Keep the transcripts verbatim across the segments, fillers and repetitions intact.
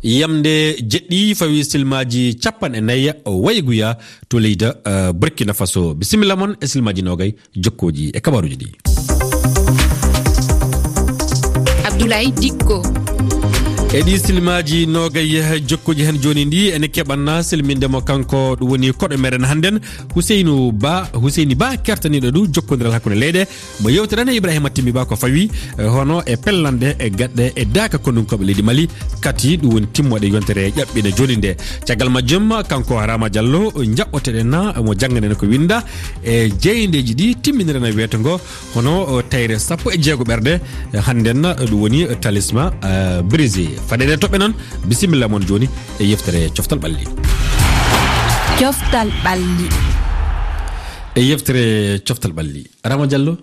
Yamde jeɗɗi fawi silmaaji capanɗe nayi wayguya to leydi, eh, Burkina Faso. Bisimilla mon e silmaaji nogay jokkooji e kabaruuji ɗi. Abdoulaye Dikko. E ɗi silmaaji nogay jokkooji hen jooni ndi, ene keɓanna silminde mo kanko ɗum woni koɗo meɗen hannden, Huseynu Ba, Huseyni Ba kertaniiɗo ɗum jokkondiral hakkunde leyɗe. Mo yewteten e Ibrahima Timmi Ba ko fawi, eh, hono e pellande e gaɗɗe e daaka konunkooɓe leydi Mali, kati ɗum woni timmoɗe yontere ƴaɓɓine jooni nde. Caggal majjum, kanko Rama Diallo, jaɓɓoteɗen mo jannganen ko winda e jeyndeeji ɗi timminirana weeto ngo, hono, o, tayre sappo e jeego ɓerɗe, eh, hannden ɗum woni talisma, eh, brisé. Faɗeɗen toɓɓe noon, bisimilla mon jooni e yeftere Coftal Ɓalli. Coftal Ɓalli. E yeftere Coftal Ɓalli. Rama Diallo.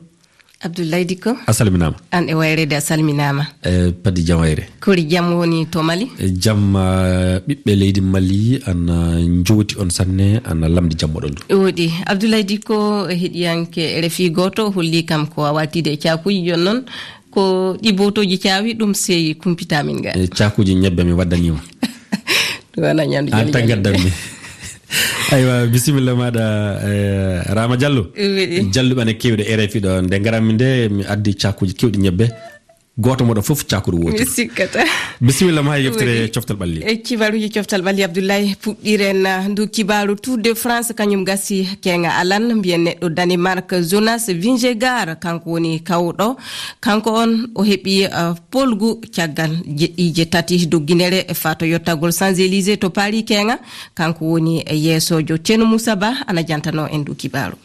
Abdoulaye Dikko. A salminaama. Aan e wayreede a salminaama. E, Padi jam wayre. Kori jam woni to Mali? E, jam, ah, ɓiɓɓe leydi Mali ana njooti on sanne, ana lamndi jam moɗon ɗum. Woɗi. Abdoulaye Dikko, heɗiyanke R F I gooto, holli kam ko a waaltiide e caakuuji jooni noon. Ko ɗi bootooji caawi, ɗum sey kumpitaa min ga. E, caakuuji ñebbe mi waddaniima. Ɗum wona ñamdu Aan jali tan jali. Gaddanmi. Aywa, bisimilla maaɗa, eh, Rama Diallo. Weɗi. Jalluɓe ana keewɗe R F I ɗo. Nde ngaranmi nde, mi addi caakuuji keewɗi ñebbe. Gooto moɗon fof caakuuji wootere. Mi sikkata. Bisimilla ma e yeftere Weɗi. Coftal Ɓalli. E kibaruuji Coftal Ɓalli, Abdoulaye, puɗɗiren, ah, ndu kibaaru Tour de France, kañum gasi keeŋa alan. Mbiyen neɗɗo Danemark, Jonas Vingegaard, kanko woni kawɗo. Kanko on o heɓi, ah, polgu caggal jeɗɗiije tati dogginere faa to yottagol Champs-Élysées to Paris keeŋa. Kanko woni yeesoojo. Ceerno Moussa Ba ana jantanoo en ndu kibaaru.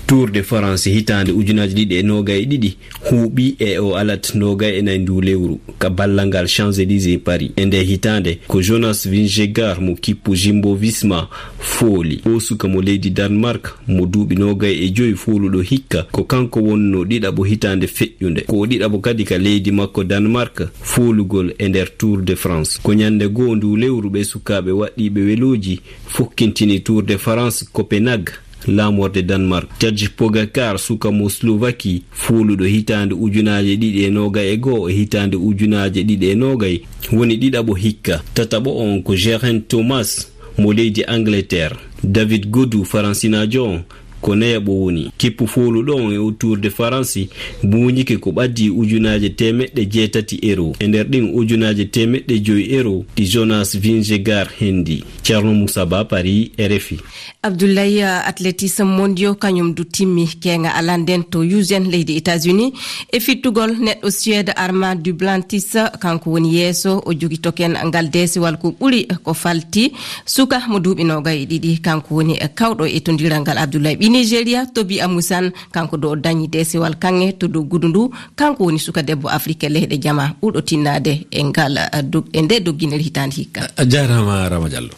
Tour de France hitaande ujunaaji ɗiɗi e noogay e ɗiɗi huuɓi e o alat noogay e nayi ndu lewru ka ballal ngal Champs-Élysées Paris. E nde hitaande ko Jonas Vingegaard mo kippu Jumbo Visma fooli. O suka mo leydi Danemark mo duuɓi noogay e joyi fooluɗo hikka, ko kanko wonno ɗiɗaɓo hitaande feƴƴunde. Ko o ɗiɗaɓo kadi ka leydi makko Danemark foolugol e nder Tour de France. Ko ñande goo ndu lewru ɓe sukaaɓe waɗɗiiɓe welooji fokkintini Tour de France Copenhague, laamorde Danemark. Tadej Pogacar, suka mo Slovaquie, fooluɗo hitaande ujunaaje ɗiɗi e noogay e goo e hitaande ujunaaje ɗiɗi e noogay, woni ɗiɗaɓo hikka. Tataɓo on ko Geraint Thomas mo leydi Angleterre. David Gaudu, Faransinaajo on, ko nayaɓo woni. Kippu fooluɗo on e o Tour de France buuñike ko ɓaddi ujunaaje teemeɗɗe jeetati euro. E nder ɗin ujunaaje teemeɗɗe joyi euro ɗi Jonas Vingegaard hendi. Ceerno Moussa Ba, Paris, R F I. Abdoulaye, uh, athlétisme mondiaux kañum du timmi keeŋa alan nden to Houston, leydi États-Unis, e fittugol neɗɗo Suède Armand Duplantis, kanko woni yeeso, o jogi token ngal deesewal ko ɓuri ko falti suka mo duuɓi noogay e ɗiɗi, kanko woni kawɗo e tondiral ngal. Abdoulaye ɓi Nigeria, Tobi Amusan, kanko do o dañi deesewal kaŋŋe to doggudu ndu, kanko woni suka debbo Afrique leyɗe jama ɓurɗo tinnaade e ngal, uh, dog-, e nde dogginel hitaande hikka. A jaaraama, Rama Diallo.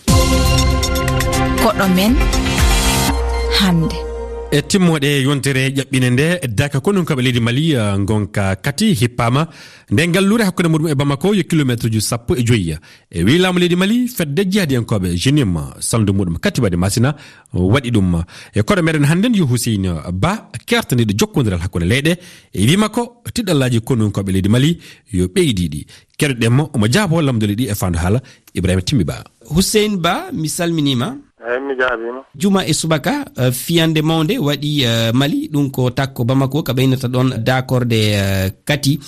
Koɗo men hannde. E timmoɗe yontere ƴaɓɓine nde, daka konunkooɓe leydi Mali, eh, ngonka kati hippaama. Nde ngalluure hakkunde muɗum e Bamako yo kilomeetruuji sappo e joyi. E wii laamu leydi Mali, fedde jihadiyankooɓe Jenim, salndu muɗum kati waɗi Masina, waɗi ɗum. E koɗo meɗen hannden yo Huseyni Ba, kertaniiɗo jokkondiral hakkunde leyɗe, e wii makko, tiɗallaaji konunkooɓe leydi Mali yo ɓeydiiɗi. Keɗoɗen mo, omo jaaboo lamndule ɗi e faandu haala Ibrahima Timmi Ba. Hussein Ba, mi salminiima. Eey, mi jaabiima. Juma e subaka, eh, fiyande mawnde waɗi, eh, Mali, ɗum ko takko Bamako, ka ɓeynata ɗoon daakorde, eh, kati.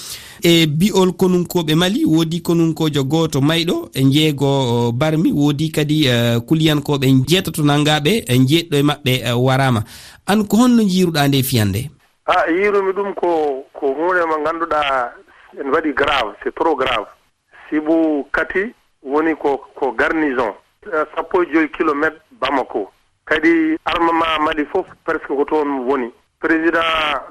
E bi'ol konunkooɓe Mali, woodi konunkoojo gooto mayɗo, e njeego, oh, barmi, woodi kadi, eh, kuliyankooɓe njeetato nanngaaɓe, e njeeɗiɗo e maɓɓe, eh, waraama. Aan ko honno njiiruɗaa nde fiyande? A, yiirumi ɗum ko, ko huunde mo ngannduɗaa en waɗi grave, c'est trop grave. Sibu kati woni ko, ko garnison, eh, sappo e joyi kilomeetre Bamako. Kadi armement Mali fof presque ko toon woni. Président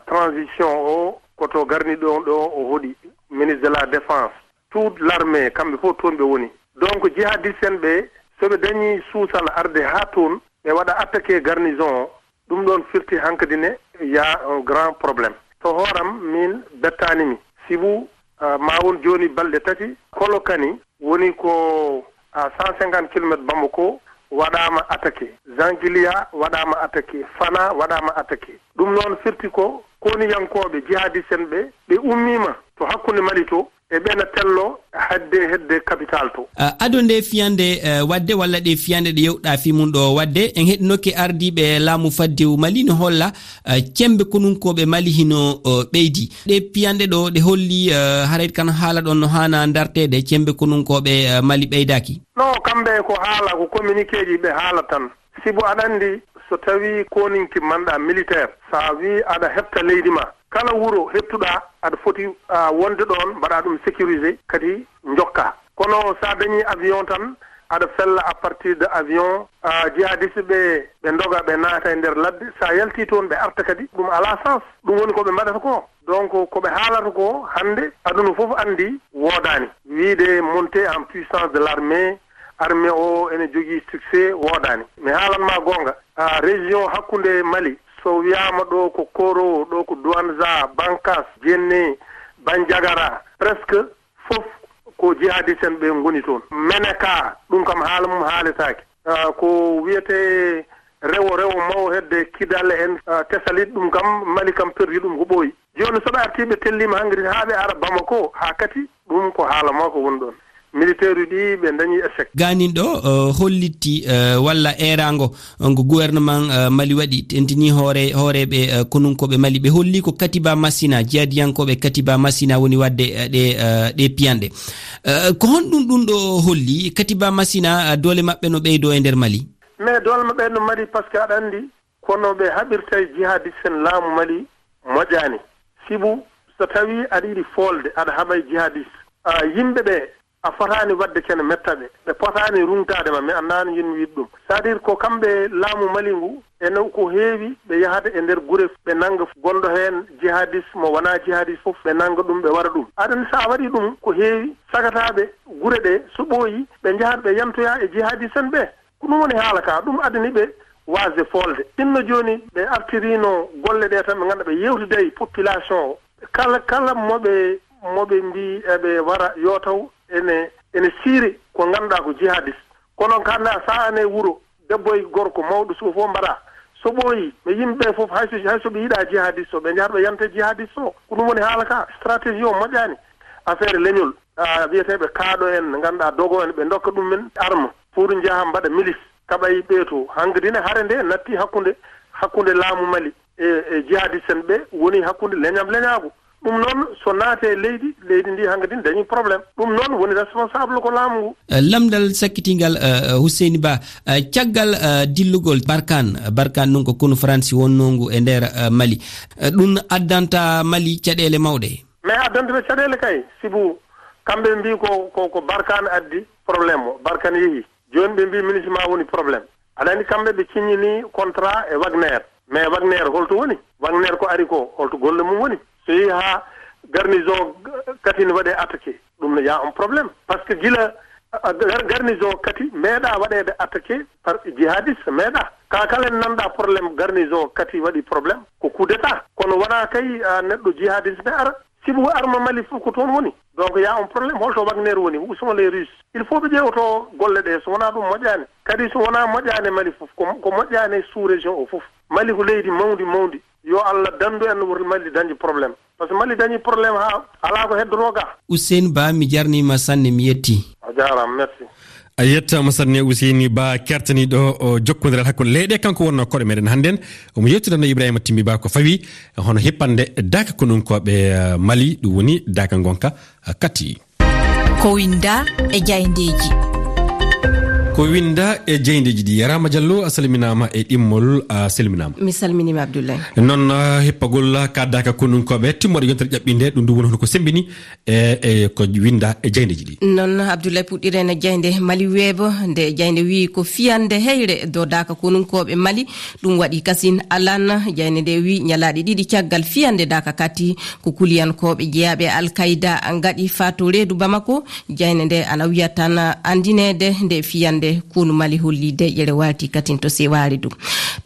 transition o ko to garni ɗo, ɗo o hoɗi, ministre de la défense. Toute l'armée, kamɓe fof toon ɓe woni. Donc, jihadiste en ɓe, so ɓe dañi suusal arde haa toon, ɓe waɗa attaqué garnison o, ɗum ɗoon firti hankadi ne y a un grand problème. To hooram, min bettaani mi. Sibu, ah, ma won jooni balɗe tati, Kolokani woni ko, ah, cent cinquante kilomètres Bamako waɗaama attaqué. Zangilia waɗaama attaqué. Fana waɗaama attaqué. Ɗum noon firti ko koniyankooɓe jihadiste en ɓe, ɓe ummiima. to hakkunde Mali to, e ɓe na tello hadde hedde capital to. Ah, ado nde fiyande, eh, waɗde walla ɗe fiyande ɗe yewɗa fii mum ɗo waɗde, en heɗinoke ardiiɓe laamu faddewu Mali no holla, eh, cembe konunkooɓe Mali hino, oh, ɓeydi. Ɗe fiyande ɗo ɗe holli, eh, haray kan haala ɗon no haana ndarteede, cembe konunkooɓe, eh, Mali ɓeydaaki. No, kamɓe ko haala, ko communiqué ji ɓe haala tan. Sibu aɗa anndi, so tawii kooninki manɗa militaire, so a wii aɗa hefta leydi ma, kala wuro heɓtuɗa, aɗa foti, ah, wonde ɗoon, mbaɗa ɗum sécurisé, kadi njokka. Kono so a dañii avion tan, aɗa fella à partir de avion, ah, jihadiste ɓe, ɓe ndoga, ɓe naata e nder ladde. So a yaltii toon, ɓe arta kadi, ɗum alaa sens. Ɗum woni ko ɓe mbaɗata ko. Donc, ko ɓe haalata ko hannde, aduna fof anndi woodaani. Wiide montée en puissance de l'armée, armée o ene jogii succès, woodaani. Mi haalan ma goonga, a, région hakkunde Mali, so wiyaama ɗo ko Koro, ɗo ko Douentza, Bankas, Djenné, Bandiagara, presque fof ko jihadiste en ɓe ngoni toon. Menaka, ɗum kam haala mum haaletaake. Ah, ko wiyetee rewo, rewo mawo hedde Kidal en, ah, Tesalit, ɗum kam Mali kam perdi ɗum ko ɓooyi. Jooni so ɓe artii ɓe telliima hannde haa ɓe ara Bamako, haa kadi ɗum ko haala mawka woni ɗoon. Militaire uji ɗi ɓe dañi échec. Gaanin ɗo, eh, hollitti, eh, walla eeraango, eh, ngo gouvernement, eh, Mali waɗi, tentinii hoore-, hooreeɓe, eh, konunkooɓe Mali. Ɓe holli ko Katiba Masina, jihadiyankooɓe Katiba Masina woni waɗde, eh, ɗe, eh, ɗe piyanɗe. Eh, ko honɗum ɗum ɗo holli? Katiba Masina, eh, doole maɓɓe no ɓeydoo e nder Mali? Mais doole maɓɓe no mari, parce que aɗa anndi, kono ɓe haɓirta e jihadiste en laamu Mali moƴƴaani. Sibu, so tawii aɗa yiɗi foolde, aɗa haɓa e jihadiste, a, yimɓe ɓe, a fotaani waɗde kene metta ɓe. Ɓe potaani ruŋtaade ma, mi anndaa no njiɗmi wiide ɗum. C'est-à-dire ko kamɓe laamu Mali ngu, ene ko heewi ɓe yahata e nder gure, ɓe nannga gonɗo heen jihadiste, mo wonaa jihadiste fof, ɓe nannga ɗum, ɓe waɗa ɗum. Aɗa anndi, so a waɗii ɗum, ko heewi sagataaɓe gure ɗe, so ɓooyi, ɓe njahata ɓe yantoya e jihadiste en ɓe. Ko ɗum woni haala ka, ɗum addani ɓe waasde foolde. Sinno jooni ɓe artiriino golle ɗe tan, ɓe ngannduɗaa ɓe yeewtida e population o. Kala, kala mo ɓe, mo ɓe mbii eɓe wara, yo taw ene, ene siiri ko ngannduɗaa ko jihadiste. Kono ka anndaa, so a ane wuro, debbo e gorko, mawɗo suka fof mbaɗa. So ɓooyi, ɓe yimɓe ɓe fof, hay so, hay so ɓe yiɗaa jihadiste o, ɓe njahata ɓe yanta jihadiste o. Ko ɗum woni haala ka, stratégie o moƴƴaani. Affaire leñol, a, wiyeteeɓe kaaɗo en, ngannduɗaa dogo en, ɓe ndokka ɗum men arme pour njaha mbaɗa milice, kaɓa e ɓee to. Hankadi ne hare nde natti hakkunde, hakkunde laamu Mali e, e jihadiste en ɓe, woni hakkunde leñam leñaagu. Ɗum noon, so naate leydi, leydi ndi hankadi dañi problème. Ɗum noon woni responsable ko laamu ngu. Eh, lamndal sakkitingal, eh, Hussein Ba, eh, caggal, eh, dillugol Barkan, Barkan ɗum ko konu Faransi wonnoo ngu e nder, eh, Mali. Eh, ɗum addanta Mali caɗeele mawɗe. Mais addanta ɓe caɗeele kay, sibu kamɓe mbii ko, ko, ko Barkan addi problème o, Barkan yehi. Jooni ɓe mbii MINUSMA woni problème. Aɗa anndi kamɓe ɓe ciññini contrat e Wagner. Mais Wagner holto woni? Wagner ko ari ko, holto golle mum woni? So yehi haa garnison Kati ne waɗe attaqué, ɗum ne y a un problème. Parce que gila, a, gar-, garnison Kati meeɗa waɗeede attaqué par jihadiste, meeɗa. Ka kala en nanɗa problème garnison Kati waɗi problème, ko coup d'état. Kono wona kay, a, neɗɗo jihadiste ne ara. Sibu arme Mali fof ko toon woni. Donc, y a un problème. Holto Wagner woni? Où sont les Russes? Il faut ɓe ƴeewoto golle ɗe. So wonaa ɗum moƴƴaani. Kadi so wonaa moƴƴaani Mali fof, ko, ko moƴƴaani sous-région o fof. Mali ko leydi mawndi, mawndi. Yo Allah danndu en, wuro Mali dañi problème. Parce que Mali dañi problème haa alaa ko heddoto ga. Hussein Ba, mi jarniima sanne, mi yetti. A jaaraama, merci. A yettaama sanne, Useyni Ba, kertaniiɗo o jokkondiral hakkunde leyɗe, kanko wonnoo koɗo meɗen hannden. Omo yewtidanno Ibrahima Timmi Ba ko fawi hono hippande daaka konunkooɓe, eh, Mali, ɗum woni daaka ngonka, eh, Kati. Ko winda e jayndeeji. Ko winda e jayndeeji ɗi. Rama Diallo, a salminaama e ɗimmol, a salminaama. Mi salminiima, Abdoulaye. Noon, eh, hippagol ka daaka konunkooɓe, timmoode yontere ƴaɓɓinde, ɗum ɗum woni hono ko sembini e, e ko winda e jayndeeji ɗi. Noon, Abdoulaye, puɗɗiren e jaynde Mali Web. Nde jaynde wiyi ko fiyande heyre dow daaka konunkooɓe Mali, ɗum waɗi kasin alan. Jaynde nde wiyi ñalaaɗe ɗiɗi caggal fiyande daaka Kati, ko kuliyankooɓe jeyaaɓe e Al Qaida ngaɗi faa to reedu Bamako. Jaynde nde ana wiya tan anndineede nde fiyande konu Mali holli deƴƴere waalti katin to Sewaare du.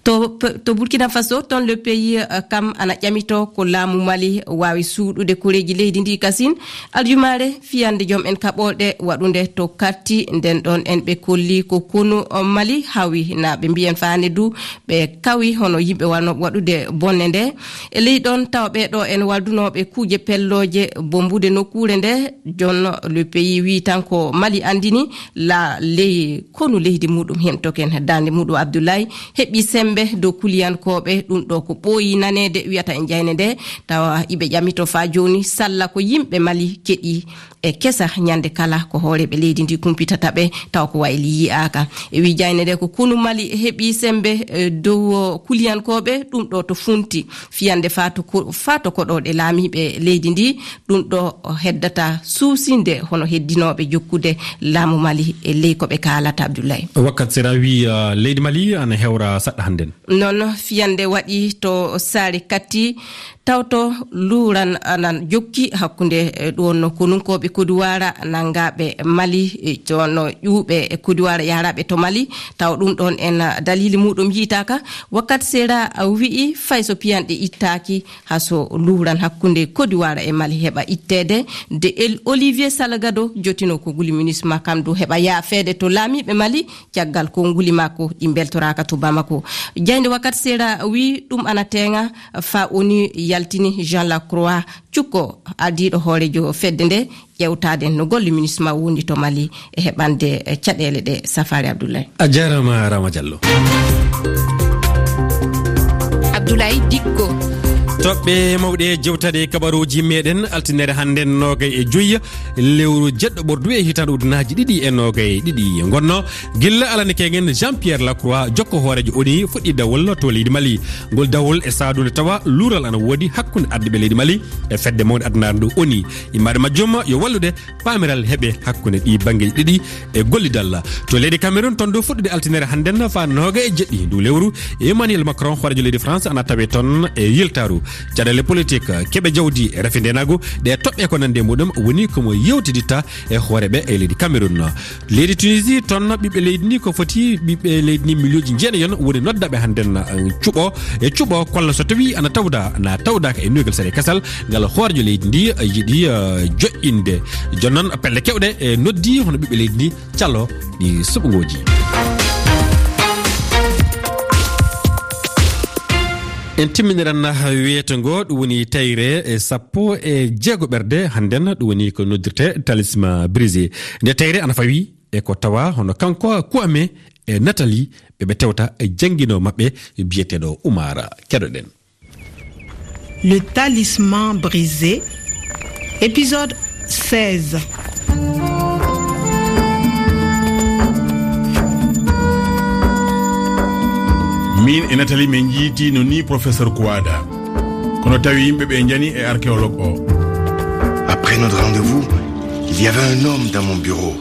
To, to Burkina Faso, toon le pays, eh, kam ana ƴamito ko laamu Mali waawi suuɗude koreeji leydi ndi kasin. Aljumaare, fiyande joom en kaɓorɗe waɗunde to Katti, nden ɗoon en ɓe kolli ko konu, eh, Mali hawi, na ɓe mbiyen faande du, ɓe kawi hono yimɓe wano waɗude bonne nde. E ley ɗoon tawa ɓee ɗo en waldunooɓe kuuje pellooje bombude nokkuure nde, joon le pays wi tan ko Mali anndini la ley konu leydi muɗum heen token daande muɗum Abdoulaye heɓi sembe dow kuliyankooɓe. Ɗum ɗo ko ɓooyi naneede wiyata e jayne nde, tawa iɓe ƴamito faa jooni salla ko yimɓe Mali keɗi e kesa ñande kala ko hooreeɓe leydi ndi kumpitata ɓe, tawa ko wayli yi'aaka. E wi jayne nde ko konu Mali heɓi sembe, eh, dow kuliyankooɓe, ɗum ɗo to funti fiyande faa to ko-, faa to koɗooɗe laamiiɓe leydi ndi, ɗum ɗo heddata suusinde hono heddinooɓe jokkude laamu Mali e ley ko ɓe kaalata, Abdoulaye. Wakkat Sera wi, uh, leydi Mali ana hewra saɗɗa hannden. Noon fiyande waɗi to Saare Katti, tawto luuran anan jokki hakkunde, eh, ɗoon konunkooɓe Kodiwara nanngaaɓe Mali, eh, joon ƴuuɓe e Kodiwara yahraaɓe to Mali, taw ɗum ɗoon en, ah, dalili muɗum yiitaaka. Wakkat Sera, ah, wi'i fay so piyanɗe ittaaki, haa so luuran hakkunde Kodiwara e Mali heɓa itteede, de El Olivier Salgado jotino ko nguli minisma kam du heɓa yaafeede to laamiiɓe Mali, caggal ko nguli makko ɗi mbeltoraaka to Bamako. Jaaynde Wakkat Sera wi ɗum ana teeŋa, faa ONU yaltini Jean Lacroix Cukko, ardiiɗo hooreejo fedde nde, ƴeewtaade no golle minisma wondi to Mali e heɓande, eh, caɗeele ɗe. Safari Abdoulaye. A jaaraama, Rama Diallo. Abdoulaye Dikko. Toɓɓe mawɗe jewtaɗe kabaruuji meɗen altinere hannden noogay e joyi lewru jeɗɗo ɓordu e hitaande ujunaaji ɗiɗi e noogay e ɗiɗi. Ngonno gilla alani kengen Jean-Pierre Lacroix, jokko hooreejo ONU, fuɗɗi dawol to leydi Mali. Ngol dawol e saadu nde tawa luural ana woodi hakkunde ardiiɓe leydi Mali e fedde mawnde addunaare nde ONU. Immaade majjum yo wallude paamiral heɓe hakkunde ɗi banngeeji ɗiɗi e gollidal. To leydi Cameroun, toon du fuɗɗude altinere hannden faa nooga e jeɗɗi ndu lewru, Emmanuel Macron, hooreejo leydi France, ana tawe toon e yiltaaru. Caɗeele politik, keɓe jawdi, rafi ndeenaagu, ɗe toɓɓe ko nande muɗum woni ko mo yewtiditta e hooreeɓe e leydi Cameroun. Leydi Tunisie, toon ɓiɓɓe leydi ndi ko foti ɓiɓɓe leydi ndi miliyonji jeenayon woni noddaaɓe hannden, eh, cuɓo e cuɓo kolla so tawi ana tawda, na tawdaaka e nuygal sere kasal ngal hooreejo leydi ndi, eh, yiɗi, eh, joƴƴinde. Jooni noon pelle kewɗe, eh, noddi hono ɓiɓɓe leydi ndi calo ɗi suɓngooji. En timminiran weeto ngo, ɗum woni tayre, eh, sappo e jeego ɓerde hannden, ɗum woni ko noddirte talisman brisé. Nde tayre ana fawi e ko tawa hono kanko Kwame e Nathalie ɓe ɓe tewta e jannginoowo maɓɓe biyeteeɗo Umar. Keɗoɗen. Le talisman brisé, épisode seize. Min e Nathalie min njiiti no ni professeur Kouada. Kono tawi yimɓe ɓe njani e archéologue o. Après notre rendez-vous, il y avait un homme dans mon bureau.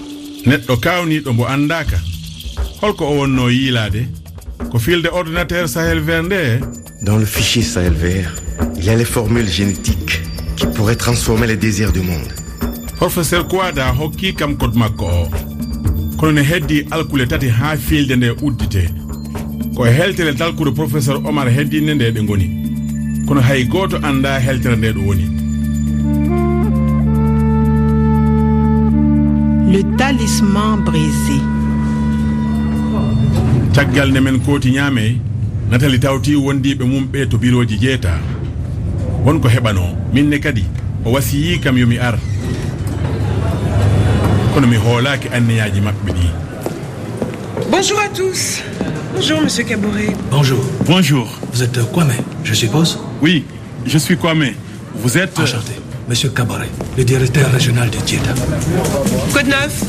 Neɗɗo kaawniiɗo mbo anndaaka. Holko o wonno yiilaade? Ko fiilde ordinateur Sahel Vert nde. Dans le fichier Sahel Vert, il y a les formules génétiques qui pourraient transformer les désirs du monde. Professeur Kouada hokki kam code makko o. Kono ne heddi alkule tati haa fiilde nde uddite. Ko e heltere dalkude professeur Omar heddinde nde ɗe ngoni. Kono hay gooto anndaa heltere nde ɗo woni. Le talisman brisé. Caggal nde men kooti Niamey, Nathalie tawti wondiiɓe mum ɓe to birooji jeeta. Won ko heɓanoo, min ne kadi, o wasiyii kam yo mi ar. Kono mi hoolaaki anniyaaji maɓɓe ɗi. Bonjour à tous. Bonjour, monsieur Kaboré. Bonjour. Bonjour. Vous êtes, euh, Kwame, je suppose ? Oui, je suis Kwame. Vous êtes, euh, Enchanté. Monsieur Kaboré, le directeur régional de Djeda. Code neuf.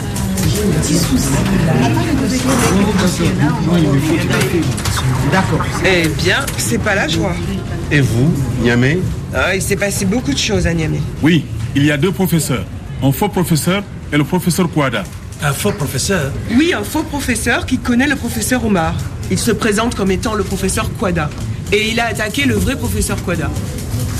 D'accord. Eh bien, c'est pas la joie. Et vous, Niamey ? Ah, il s'est passé beaucoup de choses à Niamey. Oui, il y a deux professeurs. Un faux professeur et le professeur Kouada. Un faux professeur ? Oui, un faux professeur qui connaît le professeur Omar. Il se présente comme étant le professeur Kouada. Et il a attaqué le vrai professeur Kouada.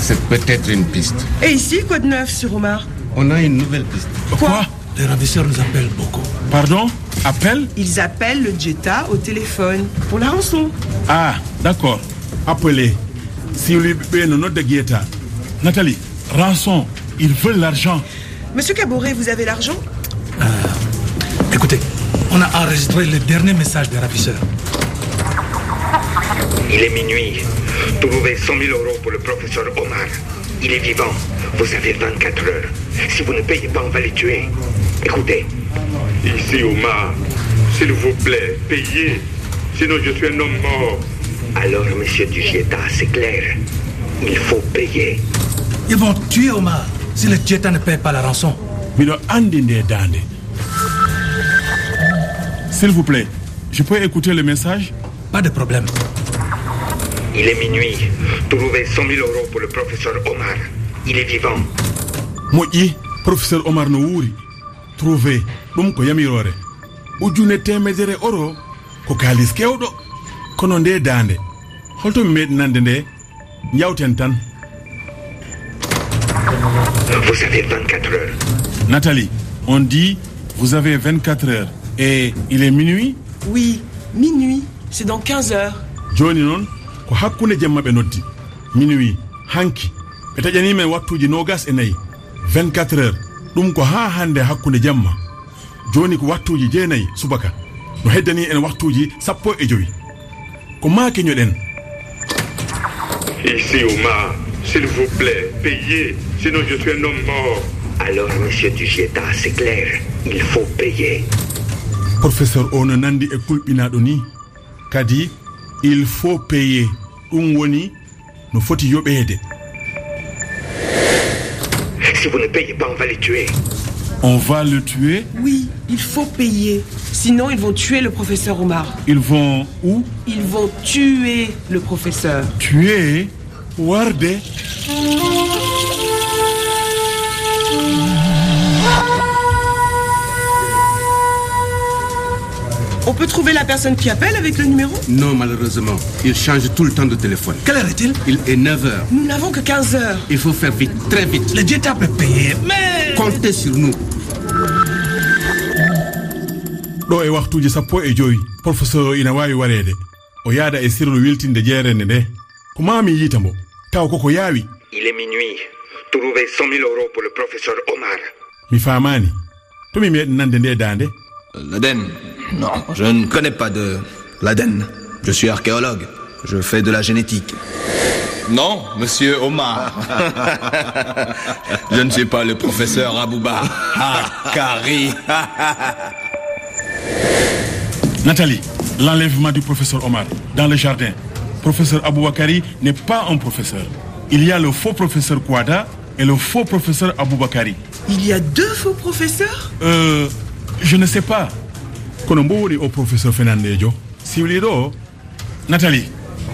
C'est peut-être une piste. Et ici, quoi de neuf sur Omar ? On a une nouvelle piste. Quoi ? Les ravisseurs nous appellent beaucoup. Pardon ? Appelle ? Ils appellent le Djeta au téléphone pour la rançon. Ah, D'accord. Appelez. Si lui, ɓe no nodda Guetta. Nathalie, rançon. Ils veulent l'argent. Monsieur Kaboré, vous avez l'argent ? Écoutez, on a enregistré le dernier message des ravisseurs. Il est minuit. Trouvez cent mille euros pour le professeur Omar. Il est vivant. Vous avez vingt-quatre heures. Si vous ne payez pas, on va le tuer. Écoutez. Ici Omar, s'il vous plaît, payez. Sinon, je suis un homme mort. Alors, monsieur Dugieta, c'est clair. Il faut payer. Ils vont tuer Omar si le Dieta ne paye pas la rançon. Miɗo anndi nde daande. S'il vous plaît, je peux écouter le message ? Pas de problème. Il est minuit. Trouvez cent mille euros pour le professeur Omar. Il est vivant. Moƴƴi, professeur Omar no wuuri. Trouvé, ɗum ko yamiroore. Ujune teemedere euro, ko kaalis keewɗo. Kono nde daande, holto mi meeɗi nande nde? Njawten tan. Vous avez vingt-quatre heures. Nathalie, on dit, vous avez vingt-quatre heures. Et il est minuit ? Oui, minuit. C'est dans quinze heures. Jooni noon, ko hakkunde jemma ɓe noddi. Minuit, hanki. Ɓe taƴanii men wattuuji noogas e nayi. Vingt-quatre heures. Ɗum ko haa hannde hakkunde jemma. Jooni ko wattuuji jeenayi subaka. No heddanii en wattuuji sappo e jowi. Ko maa keñoɗen. Ici Omar, s'il vous plaît, payez, sinon je suis un homme mort. Alors, monsieur Dugieta, c'est clair, il faut payer. Professeur o no nandi e kulɓinaaɗo ni. Kadi, il faut payer. Ɗum woni no foti yoɓeede. Si vous ne payez pas, on va le tuer. On va le tuer ? Oui, il faut payer. Sinon, ils vont tuer le professeur Omar. Ils vont où ? Ils vont tuer le professeur. Tuer ? Warde ? On peut trouver la personne qui appelle avec le numéro ? Non, malheureusement. Il change tout le temps de téléphone. Quelle heure est-il ? Il est neuf heures. Nous n'avons que quinze heures. Il faut faire vite, très vite. Le Dieta peut payer, mais... Comptez sur nous. Ɗo e waktuuji sappo e jowi, professeur o ina waawi wareede. O yaada e sirlu wiltinde jeerende nde. Ko maa mi yiita mbo, taw koko yaawi. Il est minuit. Trouvez cent mille euros pour le professeur Omar. Mi faamaani. To mi meeɗi nande nde daande? L'Aden. Non, je ne connais pas de l'Aden. Je suis archéologue. Je fais de la génétique. Non, monsieur Omar. Je ne suis pas le professeur Abouba. Ah, Kari. Nathalie, l'enlèvement du professeur Omar dans le jardin. Professeur Aboubakari n'est pas un professeur. Il y a le faux professeur Kouada et le faux professeur Aboubakari. Il y a deux faux professeurs ? Euh, je ne sais pas. Kono mbo woni o professeur fenandejo? Siwliiɗo o. Nathalie,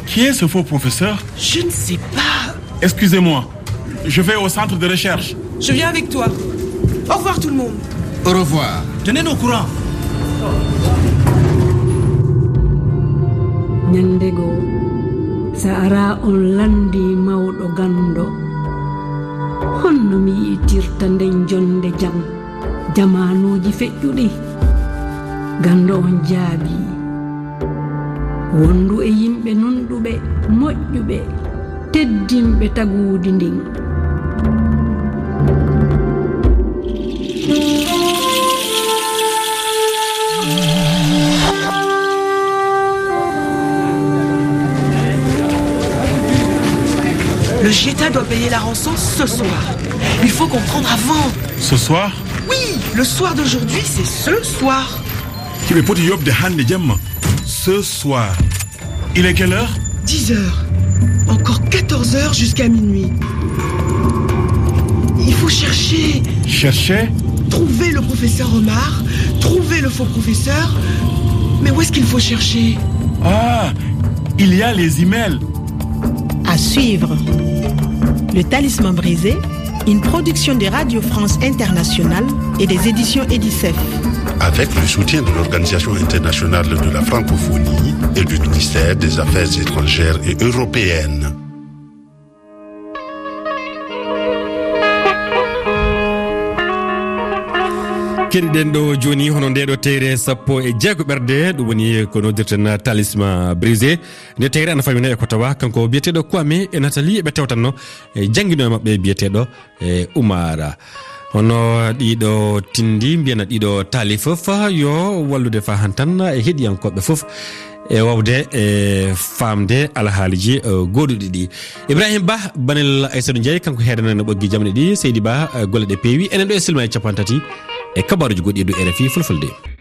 qui est ce faux professeur ? Je ne sais pas. Excusez-moi, je vais au centre de recherche. Je viens avec toi. Au revoir tout le monde. Au revoir. Tenez-nous au courant. Ñande goo, so ara on lanndii mawɗo ganndo, honno mi yi'tirta nden jonnde jam, jamaanuuji feƴƴuɗi? Ganndo on jaabii, wondu e yimɓe nunɗuɓe, moƴƴuɓe, teddinɓe taguudi ndin. Le Jeta doit payer la rançon ce soir. Il faut comprendre avant. Ce soir ? Oui, le soir d'aujourd'hui, c'est ce soir. Hiɓe poti yoɓde hannde jemma. Ce soir. Il est quelle heure ? Dix heures. Encore quatorze heures jusqu'à minuit. Il faut chercher. Chercher ? Trouver le professeur Omar, trouver le faux professeur. Mais où est-ce qu'il faut chercher ? Ah, il y a les emails. À suivre. Le talisman brisé, une production de Radio France Internationale et des éditions Edicef. Avec le soutien de l'Organisation internationale de la francophonie et du ministère des Affaires étrangères et européennes. Keɗiɗen ɗo jooni hono nde ɗo teyre sappo e jeego ɓerde, ɗum woni ko noddirten talisman brisé. Nde teyre ana famina e ko tawa kanko biyeteeɗo Kwame e Nathalie ɓe tewtanno e janngino e maɓɓe biyeteeɗo e Umara. Hono ɗiɗo tindi mbiyana ɗiɗo taali fof yo wallude fa hantan e heɗiyankooɓe fof e wawde e faamde alhaaliji gooduɗi ɗi. Ibrahim Ba, Banel Aysatu Njaay, kanko heedanano ɓoggi jamɗe ɗi. Seydi Ba, golle ɗe peewi. Enen ɗo e silma e capanɗe tati e kabaruji goɗɗi e dow R F I Fulfulde.